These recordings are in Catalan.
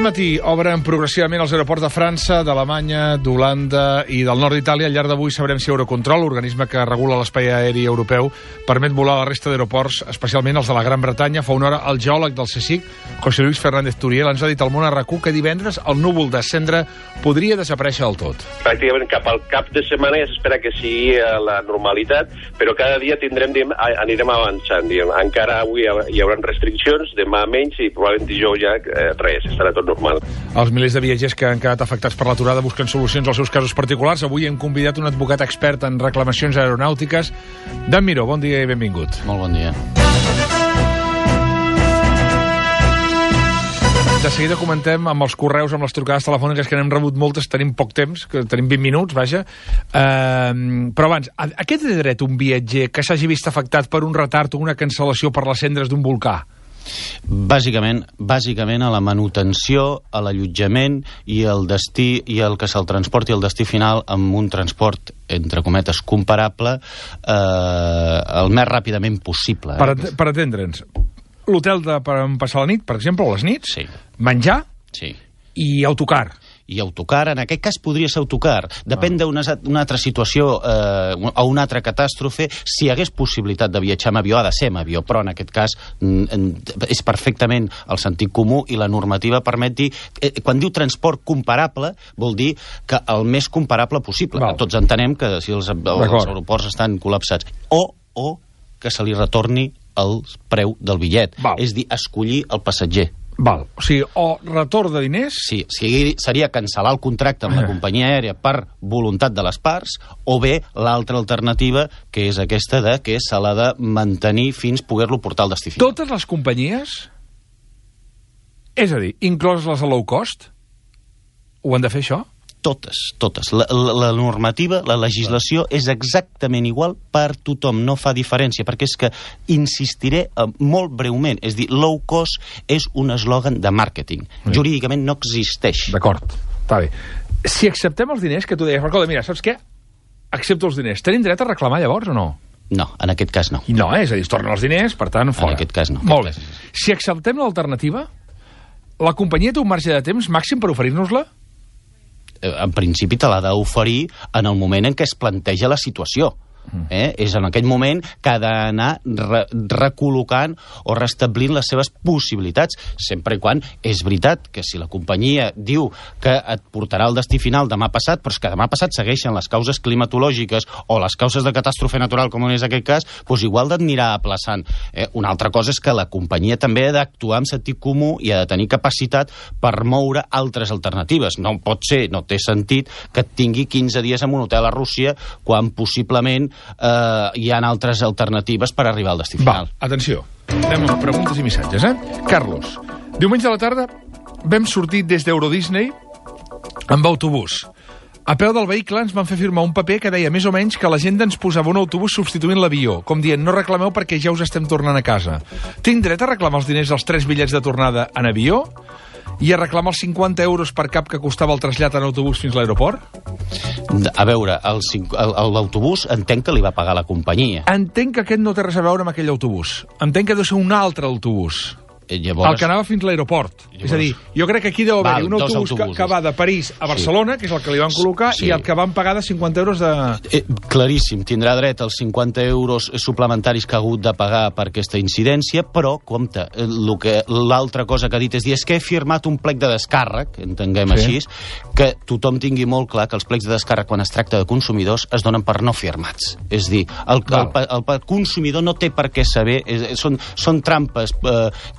matí obren progressivament els aeroports de França, d'Alemanya, d'Holanda i del nord d'Itàlia. Al llarg d'avui sabrem si Eurocontrol, l'organisme que regula l'espai aeri europeu, permet volar a la resta d'aeroports, especialment els de la Gran Bretanya. Fa una hora el geòleg del CSIC, José Luis Fernández Turiel, ens ha dit al Món a RAC1 que divendres el núvol de cendra podria desaparèixer del tot. Pràcticament cap al cap de setmana ja s'espera que sigui la normalitat, però cada dia anirem avançant. Encara avui hi haurà restriccions, demà menys i probablement dijous ja res, estarà tot normal. Els milers de viatgers que han quedat afectats per l'aturada busquen solucions als seus casos particulars. Avui hem convidat un advocat expert en reclamacions aeronàutiques. Dan Miró, bon dia i benvingut. Molt bon dia. De seguida comentem amb els correus, amb les trucades telefòniques, que n'hem rebut moltes, tenim poc temps, que tenim 20 minuts, vaja. Però abans, a què té dret un viatger que s'hagi vist afectat per un retard o una cancel·lació per les cendres d'un volcà? Bàsicament a la manutenció, a l'allotjament i el destí, i el que se'l transporti al destí final amb un transport, entre cometes, comparable el més ràpidament possible. Per atendre'ns, l'hotel per passar la nit, per exemple, o les nits, sí. Menjar sí. I autocar. I autocar, en aquest cas podria ser autocar. Depèn d'una altra situació o una altra catàstrofe. Si hi hagués possibilitat de viatjar amb avió, ha de ser amb avió, però en aquest cas és perfectament el sentit comú i la normativa permet dir... Quan diu transport comparable, vol dir que el més comparable possible. Val. Tots entenem que si els aeroports estan col·lapsats. O que se li retorni el preu del bitllet. Val. És dir, escollir el passatger. Val. O sigui, o retorn de diners... Sí, seria cancel·lar el contracte amb la companyia aèria per voluntat de les parts, o bé l'altra alternativa, que és aquesta que se l'ha de mantenir fins poder-lo portar al destí final. Totes les companyies, és a dir, incloses les de low cost, ho han de fer això? Totes. La normativa, la legislació és exactament igual per tothom, no fa diferència, perquè és que insistiré molt breument, és dir, low cost és un eslògan de màrqueting. Jurídicament no existeix. D'acord, està bé. Si acceptem els diners que tu deies, recorda, mira, saps què? Accepto els diners. Tenim dret a reclamar llavors o no? No, en aquest cas no. No, és a dir, es tornen els diners, per tant, fora. En aquest cas no. Molt bé. Si acceptem l'alternativa, la companyia té un marge de temps màxim per oferir-nos-la? En principi te l'ha d'oferir en el moment en què es planteja la situació. És en aquell moment que ha d'anar recol·locant o restablint les seves possibilitats, sempre i quan és veritat que si la companyia diu que et portarà al destí final demà passat, però és que demà passat segueixen les causes climatològiques o les causes de catàstrofe natural, com és aquest cas, doncs igual d'anirà aplaçant. Una altra cosa és que la companyia també ha d'actuar amb sentit comú i ha de tenir capacitat per moure altres alternatives. No pot ser, no té sentit que et tingui 15 dies en un hotel a Rússia quan possiblement hi ha altres alternatives per arribar al destí final. Va, atenció, anem amb preguntes i missatges, Carlos, diumenge a la tarda vam sortir des d'Eurodisney amb autobús. A peu del vehicle ens van fer firmar un paper que deia més o menys que l'agenda ens posava un autobús substituint l'avió, com dient, no reclameu perquè ja us estem tornant a casa. Tinc dret a reclamar els diners dels 3 bitllets de tornada en avió i a reclamar els 50 euros per cap que costava el trasllat en autobús fins a l'aeroport? A veure, l'autobús entenc que li va pagar la companyia. Entenc que aquest no té res a veure amb aquell autobús. Entenc que deu ser un altre autobús. Llavors... El que anava fins a l'aeroport. És a dir, jo crec que aquí deu haver-hi un autobús que va de París a Barcelona, que és el que li van col·locar, i el que van pagar de 50 euros de... Claríssim, tindrà dret als 50 euros suplementaris que ha hagut de pagar per aquesta incidència, però, compte, l'altra cosa que ha dit és dir, és que he firmat un plec de descàrrec, entenguem així, que tothom tingui molt clar que els plecs de descàrrec, quan es tracta de consumidors, es donen per no firmats. És dir, el consumidor no té per què saber, són trampes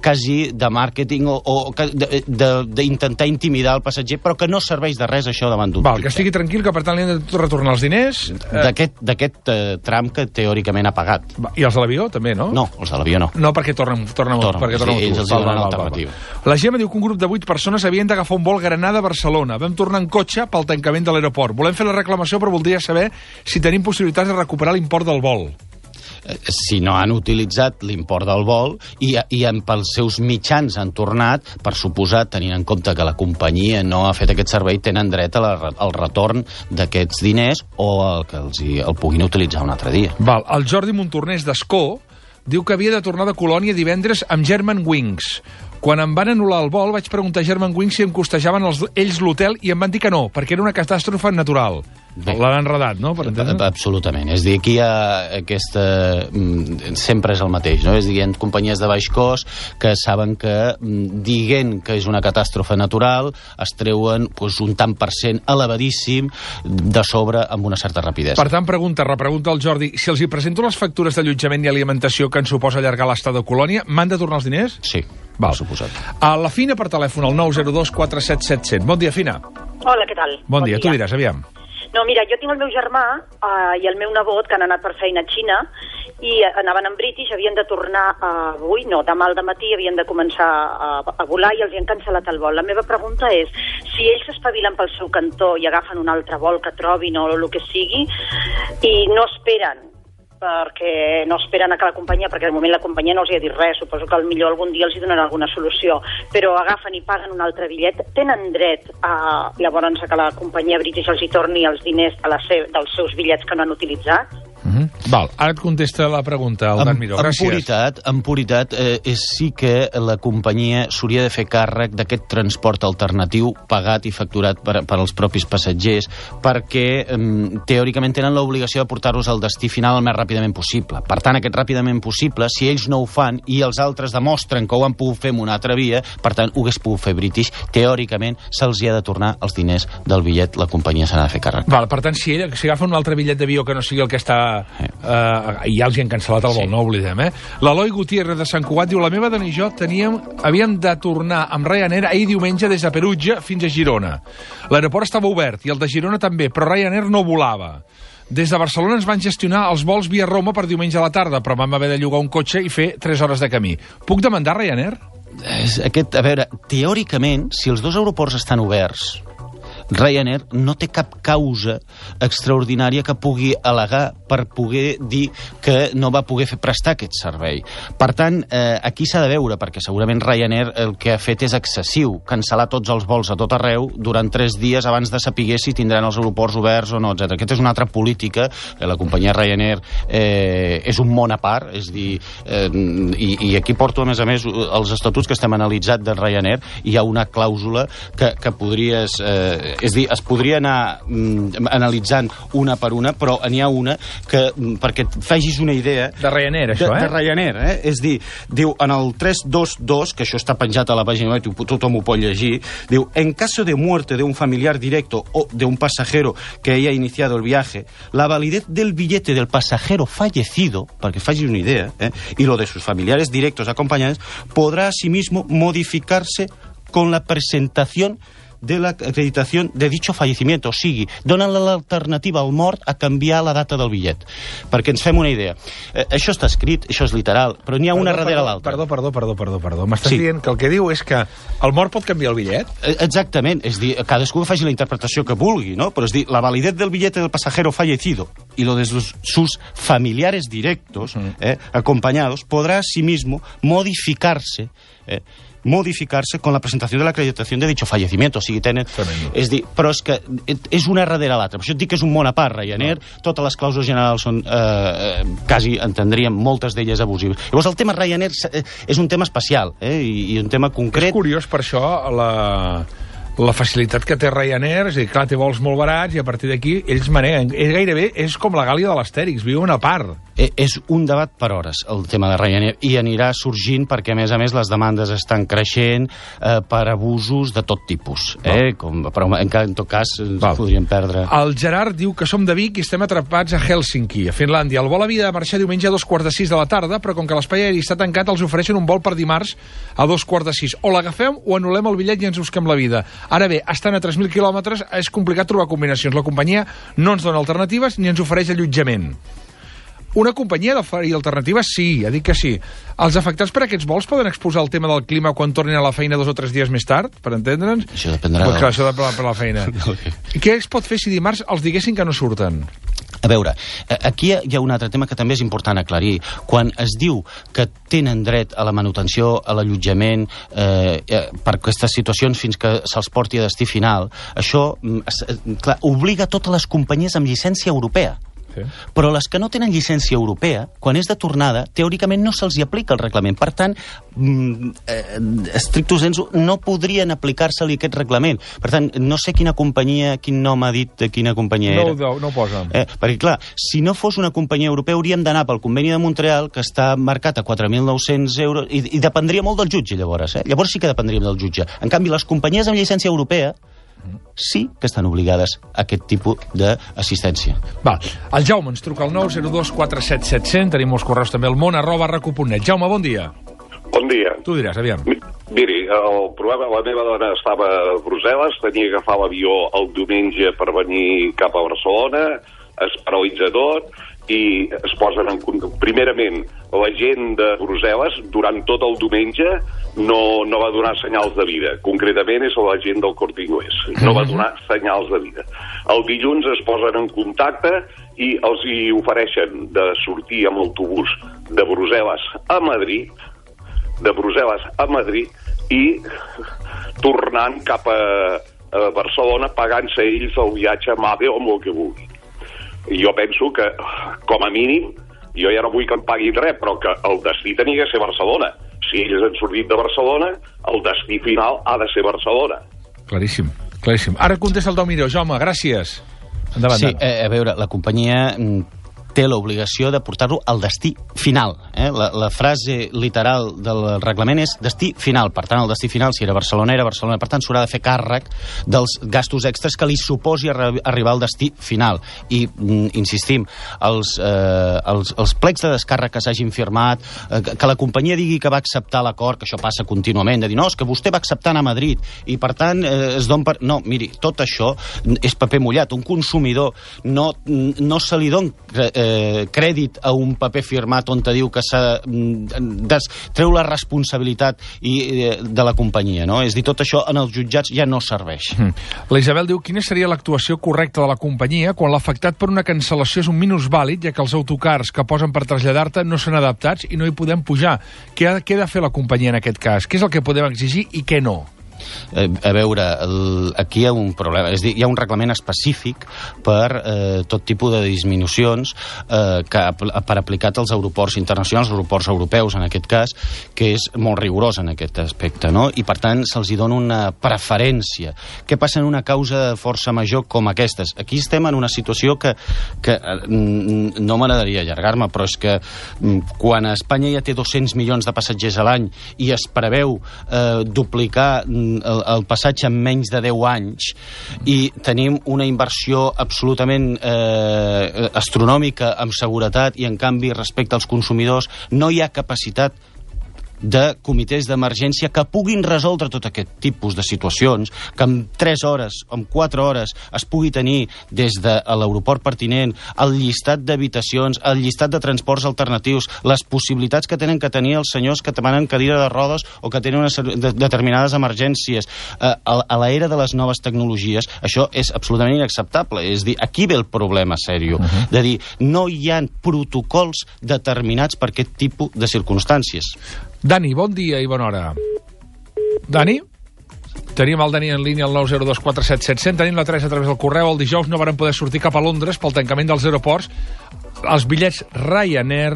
quasi de màrqueting o d'intentar intimidar el passatger, però que no serveix de res això davant d'un que estigui tranquil, que per tant li han de retornar els diners d'aquest tram que teòricament ha pagat. I els de l'avió també, no? No, els de l'avió no. No, perquè tornen ells els donen l'alternativa. La Gemma diu que un grup de 8 persones havien d'agafar un vol Granada-Barcelona. Vam tornar en cotxe pel tancament de l'aeroport. Volem fer la reclamació, però voldria saber si tenim possibilitats de recuperar l'import del vol. Si no han utilitzat l'import del vol i pels seus mitjans han tornat, per suposat, tenint en compte que la companyia no ha fet aquest servei, tenen dret al retorn d'aquests diners o que el puguin utilitzar un altre dia. El Jordi Montornès d'Escó diu que havia de tornar de Colònia divendres amb Germanwings. Quan em van anul·lar el vol, vaig preguntar a Germanwings si em costejaven ells l'hotel i em van dir que no, perquè era una catàstrofe natural. L'han enredat, no? Per entendre? Absolutament. És a dir, aquí hi ha aquesta... Sempre és el mateix, no? És a dir, hi ha companyies de baix cost que saben que, dient que és una catàstrofe natural, es treuen un tant per cent elevadíssim de sobre amb una certa rapidesa. Per tant, repregunta el Jordi, si els hi presento les factures d'allotjament i alimentació que ens suposa allargar l'estada a Colònia, m'han de tornar els diners? Sí, val. per suposat. A la Fina per telèfon, al 902 477 100. Bon dia, Fina. Hola, què tal? Bon dia, tu diràs, aviam. No, mira, jo tinc el meu germà i el meu nebot que han anat per feina a Xina i anaven en British, havien de tornar avui, no, demà al dematí havien de començar a volar i els han cancel·lat el vol. La meva pregunta és, si ells s'espavilen pel seu cantó i agafen un altre vol que trobin o el que sigui i no esperen perquè no esperen a que la companyia, perquè de moment la companyia no els hi ha dit res, suposo que millor algun dia els hi donarà alguna solució, però agafen i paguen un altre bitllet, tenen dret llavors a que la companyia British els hi torni els diners dels seus bitllets que no han utilitzat? Val, ara et contesta la pregunta, el Dan Miró. Gràcies. En puritat, sí que la companyia s'hauria de fer càrrec d'aquest transport alternatiu pagat i facturat per als propis passatgers, perquè teòricament tenen l'obligació de portar-los al destí final el més ràpidament possible. Per tant, aquest ràpidament possible, si ells no ho fan i els altres demostren que ho han pogut fer amb una altra via, per tant, ho hagués pogut fer British, teòricament se'ls hi ha de tornar els diners del bitllet, la companyia s'ha de fer càrrec. Val, per tant, si agafen un altre bitllet d'avió que no sigui el que està... i ja els hi han cancel·lat el vol, no ho oblidem, L'Eloi Gutiérrez de Sant Cugat diu, la meva dona i jo havíem de tornar amb Ryanair ahir diumenge des de Perugia fins a Girona. L'aeroport estava obert i el de Girona també, però Ryanair no volava. Des de Barcelona ens van gestionar els vols via Roma per diumenge a la tarda, però vam haver de llogar un cotxe i fer 3 hores de camí. Puc demandar Ryanair? A veure, teòricament, si els dos aeroports estan oberts, Ryanair no té cap causa extraordinària que pugui al·legar per poder dir que no va poder prestar aquest servei. Per tant, aquí s'ha de veure, perquè segurament Ryanair el que ha fet és excessiu, cancel·lar tots els vols a tot arreu durant 3 dies abans de saber si tindran els aeroports oberts o no, etc. Aquesta és una altra política, que la companyia Ryanair és un món a part, és dir, i aquí porto a més els estatuts que estem analitzant de Ryanair, hi ha una clàusula que podries... és dir, es podria anar analitzant una per una, però n'hi ha una que, perquè et facis una idea... De Ryanair, això, De Ryanair, És dir, diu, en el 322, que això està penjat a la pàgina web, tothom ho pot llegir, diu, en caso de muerte de un familiar directo o de un pasajero que haya iniciado el viaje, la validez del billete del pasajero fallecido, perquè facis una idea, y lo de sus familiares directos acompañados, podrá asimismo modificarse con la presentación de la acreditació de dicho fallecimiento. O sigui, donen l'alternativa al mort a canviar la data del bitllet. Perquè ens fem una idea. Això està escrit, això és literal, però n'hi ha una darrere l'altra. Perdó. M'estàs dient que el que diu és que el mort pot canviar el bitllet? Exactament. És dir, cadascú faci la interpretació que vulgui, no? Però és dir, la validez del billete del pasajero fallecido y lo de sus familiares directos, acompañados, podrá asimismo modificarse con la presentació de l'acreditació de dicho fallecimiento. O sigui, és dir, però és que és una darrere l'altra. Per això et dic que és un món a part, Ryanair. Totes les clàusules generals són, quasi entendríem, moltes d'elles abusives. Llavors, el tema Ryanair és un tema especial, i un tema concret. És curiós, per això, la facilitat que té Ryanair, és a dir, clar, té vols molt barats i a partir d'aquí ells maneguen. És com la Gàlia de l'Astèrix, viuen a part. És un debat per hores, el tema de Ryanair, i anirà sorgint perquè, a més, les demandes estan creixent per abusos de tot tipus. Però en tot cas ens podríem perdre. El Gerard diu que som de Vic i estem atrapats a Hèlsinki, a Finlàndia. El vol havia de marxar diumenge a 2:45 de la tarda, però com que l'espai aeri està tancat, els ofereixen un vol per dimarts a 2:45. O l'agafem o anul·lem el bitllet i ens busquem la vida. Ara bé, estan a 3.000 quilòmetres, és complicat trobar combinacions. La companyia no ens dona alternatives ni ens ofereix allotjament. Una companyia d'oferir alternatives? Sí, ja dic que sí. Els afectats per aquests vols poden exposar el tema del clima quan tornin a la feina 2 o 3 dies més tard, per entendre'ns? Això dependrà. Això depèn per la feina. I què es pot fer si dimarts els diguessin que no surten? A veure, aquí hi ha un altre tema que també és important aclarir. Quan es diu que tenen dret a la manutenció, a l'allotjament, per aquestes situacions fins que se'ls porti a destí final, això, clar, obliga totes les companyies amb llicència europea. Però les que no tenen llicència europea, quan és de tornada, teòricament no se'ls hi aplica el reglament. Per tant, stricto sensu, no podrien aplicar-se-li aquest reglament. Per tant, no sé quina companyia, quin nom ha dit de quina companyia era. No ho posa. Perquè, clar, si no fos una companyia europea, hauríem d'anar pel conveni de Montreal, que està marcat a 4.900 euros, i dependria molt del jutge, llavors. Llavors sí que dependríem del jutge. En canvi, les companyies amb llicència europea sí que estan obligades a aquest tipus d'assistència. Val. El Jaume ens truca al 902 47 700. Tenim molts correus també al món@racu.net. Jaume, bon dia. Bon dia. Tu diràs, aviam. Miri, el problema, la meva dona estava a Brussel·les, tenia que agafar l'avió el diumenge per venir cap a Barcelona, es paralitza tot, i es posen en... Primerament, la gent de Brussel·les, durant tot el diumenge, no va donar senyals de vida. Concretament és la gent del Corte Inglés. No va donar senyals de vida. El dilluns es posen en contacte i els hi ofereixen de sortir amb l'autobús de Brussel·les a Madrid, i tornant cap a Barcelona, pagant-se ells el viatge a Mave o amb el que vulgui. Jo penso que, com a mínim, jo ja no vull que em paguin res, però que el destí tenia que ser Barcelona. Si ells han sortit de Barcelona, el destí final ha de ser Barcelona. Claríssim, claríssim. Ara contesta el Daumiró. Jaume, gràcies. Endavant. Sí, a veure, la companyia té l'obligació de portar-lo al destí final. La frase literal del reglament és destí final. Per tant, el destí final, si era Barcelona, era Barcelona. Per tant, s'haurà de fer càrrec dels gastos extres que li suposi arribar al destí final. I, insistim, els plecs de descàrrec que s'hagin firmat, que la companyia digui que va acceptar l'acord, que això passa contínuament, de dir, no, és que vostè va acceptar anar a Madrid, i per tant, es don per... No, miri, tot això és paper mullat. Un consumidor no se li don crèdit a un paper firmat on te diu que treu la responsabilitat de la companyia, no? És a dir, tot això en els jutjats ja no serveix. La Isabel diu, quina seria l'actuació correcta de la companyia quan l'afectat per una cancel·lació és un minusvàlid, ja que els autocars que posen per traslladar-te no són adaptats i no hi podem pujar. Què ha de fer la companyia en aquest cas? Què és el que podem exigir i què no? A veure, aquí hi ha un problema, és a dir, hi ha un reglament específic per tot tipus de disminucions per aplicat als aeroports internacionals, als aeroports europeus en aquest cas, que és molt rigorós en aquest aspecte, no? I per tant se'ls dona una preferència. Què passa en una causa de força major com aquestes? Aquí estem en una situació que no m'agradaria allargar-me, però és que quan Espanya ja té 200 milions de passatgers a l'any i es preveu duplicar el passatge en menys de 10 anys i tenim una inversió absolutament astronòmica en seguretat i en canvi respecte als consumidors no hi ha capacitat de comitès d'emergència que puguin resoldre tot aquest tipus de situacions, que en 3 hores, en 4 hores es pugui tenir des de l'aeroport pertinent el llistat d'habitacions, el llistat de transports alternatius, les possibilitats que tenen que tenir els senyors que demanen cadira de rodes o que tenen determinades emergències a l'era de les noves tecnologies. Això és absolutament inacceptable. És dir, aquí ve el problema sèrio, de dir, no hi ha protocols determinats per aquest tipus de circumstàncies. Dani, bon dia i bona hora. Dani? Tenim el Dani en línia al 902 47 700. Tenim la Teresa a través del correu. El dijous no varen poder sortir cap a Londres pel tancament dels aeroports. Els bitllets Ryanair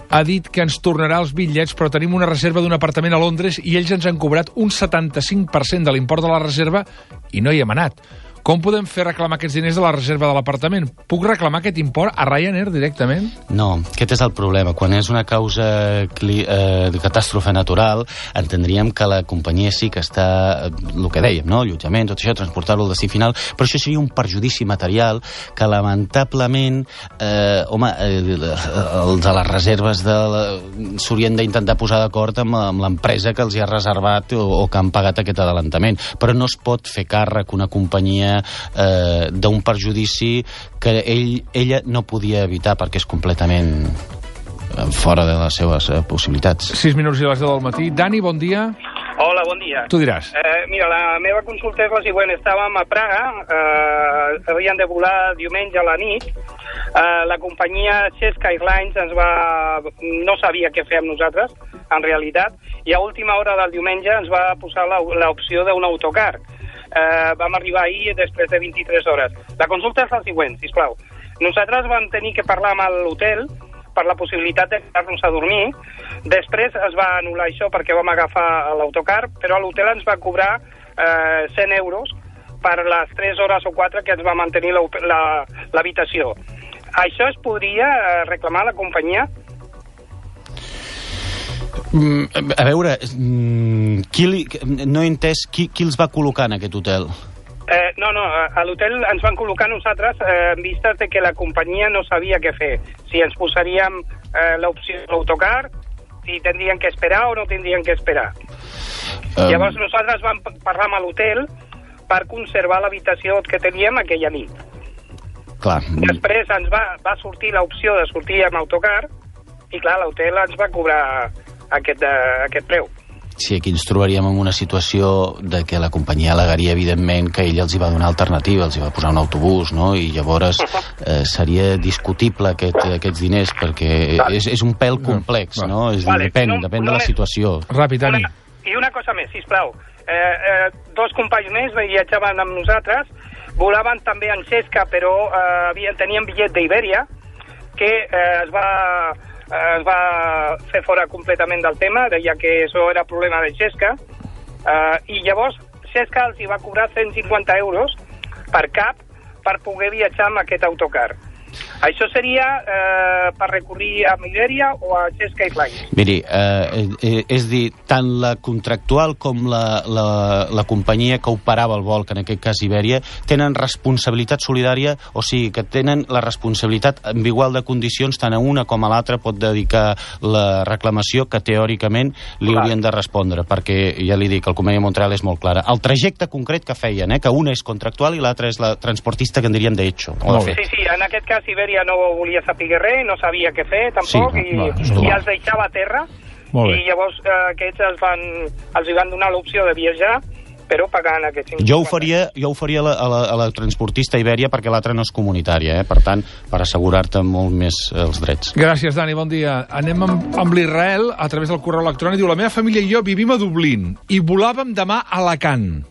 ha dit que ens tornarà els bitllets, però tenim una reserva d'un apartament a Londres i ells ens han cobrat un 75% de l'import de la reserva i no hi hem anat. Com podem fer reclamar aquests diners de la reserva de l'apartament? Puc reclamar aquest import a Ryanair directament? No, aquest és el problema. Quan és una causa de catàstrofe natural, entendríem que la companyia sí que està, el que dèiem, no? Allotjament, tot això, transportar-lo al destí final, però això seria un perjudici material que lamentablement, els de les reserves s'haurien d'intentar posar d'acord amb l'empresa que els hi ha reservat o que han pagat aquest adelantament. Però no es pot fer càrrec una companyia d'un perjudici que ella no podia evitar perquè és completament fora de les seves possibilitats. 6 minuts i les 10 del matí. Dani, bon dia. Hola, bon dia. Tu diràs. Mira, la meva consulta és la següent. Estàvem a Praga, havien de volar diumenge a la nit. La companyia Česká Airlines no sabia què fer amb nosaltres, en realitat, i a última hora del diumenge ens va posar l'opció d'un autocar. Vam arribar ahir després de 23 hores. La consulta és la següent, sisplau. Nosaltres vam tenir que parlar amb l'hotel per la possibilitat de quedar-nos a dormir. Després es va anul·lar això perquè vam agafar l'autocar, però l'hotel ens va cobrar 100 euros per les 3 hores o 4 que ens va mantenir l'habitació. Això es podria reclamar a la companyia? A veure, no he entès qui els va col·locar en aquest hotel. No, a l'hotel ens van col·locar nosaltres en vistes de que la companyia no sabia què fer. Si ens posaríem l'opció de l'autocar, si tindrien que esperar o no tindrien que esperar. Llavors nosaltres vam parlar amb l'hotel per conservar l'habitació que teníem aquella nit. Clar. Després ens va sortir l'opció de sortir amb autocar i clar, l'hotel ens va cobrar aquest preu. Sí, aquí ens trobaríem en una situació de que la companyia al·legaria, evidentment, que ella els hi va donar alternativa, els hi va posar un autobús, no? I llavors seria discutible aquests diners, perquè és un pèl complex, no? És dir, depèn de la situació. Ràpid, Dani. I una cosa més, sisplau. 2 companys més viatjaven amb nosaltres, volaven també en Xesca, però tenien bitllet d'Ibèria, que es va fer fora completament del tema, deia que això era problema de Xesca, i llavors Xesca els hi va cobrar 150 euros per cap per poder viatjar amb aquest autocar. Això seria per recurrir a Ibèria o a Xesca Airlines? Miri, és dir, tant la contractual com la companyia que operava el vol, que en aquest cas Ibèria, tenen responsabilitat solidària, o sigui, que tenen la responsabilitat en igual de condicions, tant a una com a l'altra pot dedicar la reclamació que teòricament li haurien de respondre, perquè ja li dic, el conveni de Montreal és molt clara. El trajecte concret que feien, que una és contractual i l'altra és la transportista, que en diríem d'hecho. Sí, en aquest cas Ibèria no volia saber res, no sabia què fer tampoc, i els deixava a terra, i llavors aquests els hi van donar l'opció de viatjar, però pagant aquests 50. Jo ho faria a la transportista Ibèria, perquè l'altra no és comunitària, per tant, per assegurar-te molt més els drets. Gràcies, Dani, bon dia. Anem amb l'Israel a través del correu electrònic. Diu, la meva família i jo vivim a Dublín i volàvem demà a Alacant,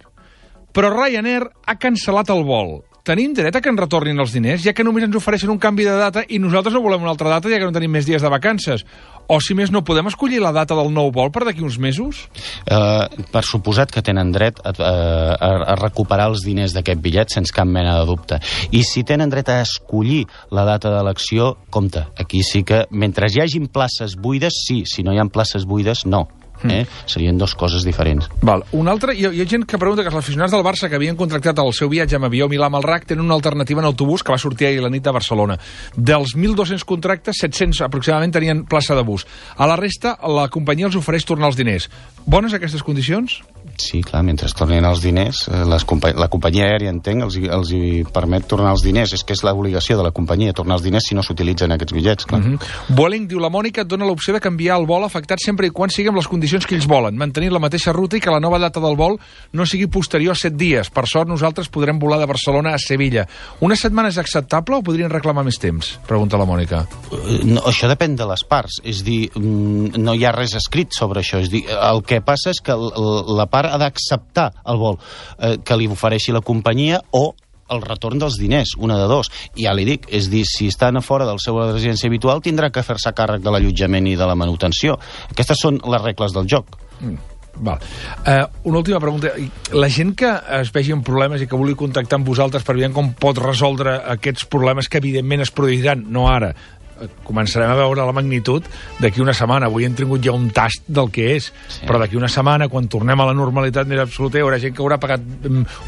però Ryanair ha cancel·lat el vol. Tenim dret a que ens retornin els diners, ja que només ens ofereixen un canvi de data i nosaltres no volem una altra data, ja que no tenim més dies de vacances. O, si més no, podem escollir la data del nou vol per d'aquí uns mesos? Per suposat que tenen dret a recuperar els diners d'aquest bitllet sense cap mena de dubte. I si tenen dret a escollir la data d'elecció, compte, aquí sí que mentre hi hagin places buides, sí, si no hi ha places buides, no. Serien 2 coses diferents. Val. Un altre, hi ha gent que pregunta que els aficionats del Barça que havien contractat el seu viatge amb avió Milà-Malrac tenen una alternativa en autobús que va sortir ahir la nit a Barcelona. Dels 1.200 contractes, 700 aproximadament tenien plaça de bus. A la resta, la companyia els ofereix tornar els diners. Bones aquestes condicions? Sí, clar, mentre tornin els diners, la companyia aèria, entenc, els hi permet tornar els diners. És que és l'obligació de la companyia, tornar els diners si no s'utilitzen aquests bitllets, clar. Vueling, diu, la Mònica et dona l'opció de canviar el vol afectat sempre i quan sigui amb les condicions que ells volen, mantenir la mateixa ruta i que la nova data del vol no sigui posterior a 7 dies. Per sort, nosaltres podrem volar de Barcelona a Sevilla. Una setmana és acceptable o podrien reclamar més temps? Pregunta la Mònica. No, això depèn de les parts. És dir, no hi ha res escrit sobre això. És dir, el que passa és que la part ha d'acceptar el vol que li ofereixi la companyia o el retorn dels diners, una de 2. I ja li dic, és dir, si estan a fora del seu residència habitual, tindrà que fer-se càrrec de l'allotjament i de la manutenció. Aquestes són les regles del joc. Val. Una última pregunta. La gent que es vegi en problemes i que vulgui contactar amb vosaltres per veure com pot resoldre aquests problemes que evidentment es produiran, no ara, començarem a veure la magnitud d'aquí una setmana. Avui hem tingut ja un tast del que és, però d'aquí una setmana, quan tornem a la normalitat més absoluta, hi haurà gent que haurà pagat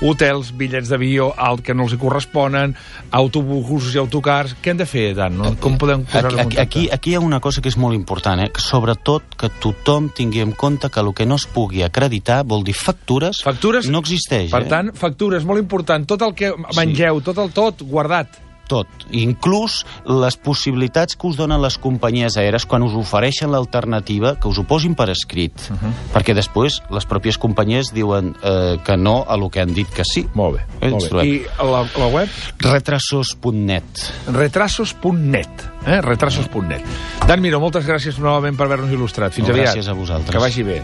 hotels, bitllets d'avió alt que no els hi corresponen, autobusos i autocars. Què hem de fer, Dan? Com podem posar-nos en contacte? Aquí hi ha una cosa que és molt important, que sobretot que tothom tingui en compte que el que no es pugui acreditar vol dir factures no existeix. Per tant, factures, molt important. Tot el que mengeu, tot guardat. Tot, inclús les possibilitats que us donen les companyies aèries quan us ofereixen l'alternativa, que us ho posin per escrit, perquè després les pròpies companyies diuen que no a lo que han dit que sí. Molt bé. I la web? Retrasos.net. Retrasos.net. Retrasos.net. Dan Miró, moltes gràcies novament per haver-nos il·lustrat. Fins aviat. Gràcies a vosaltres. Que vagi bé.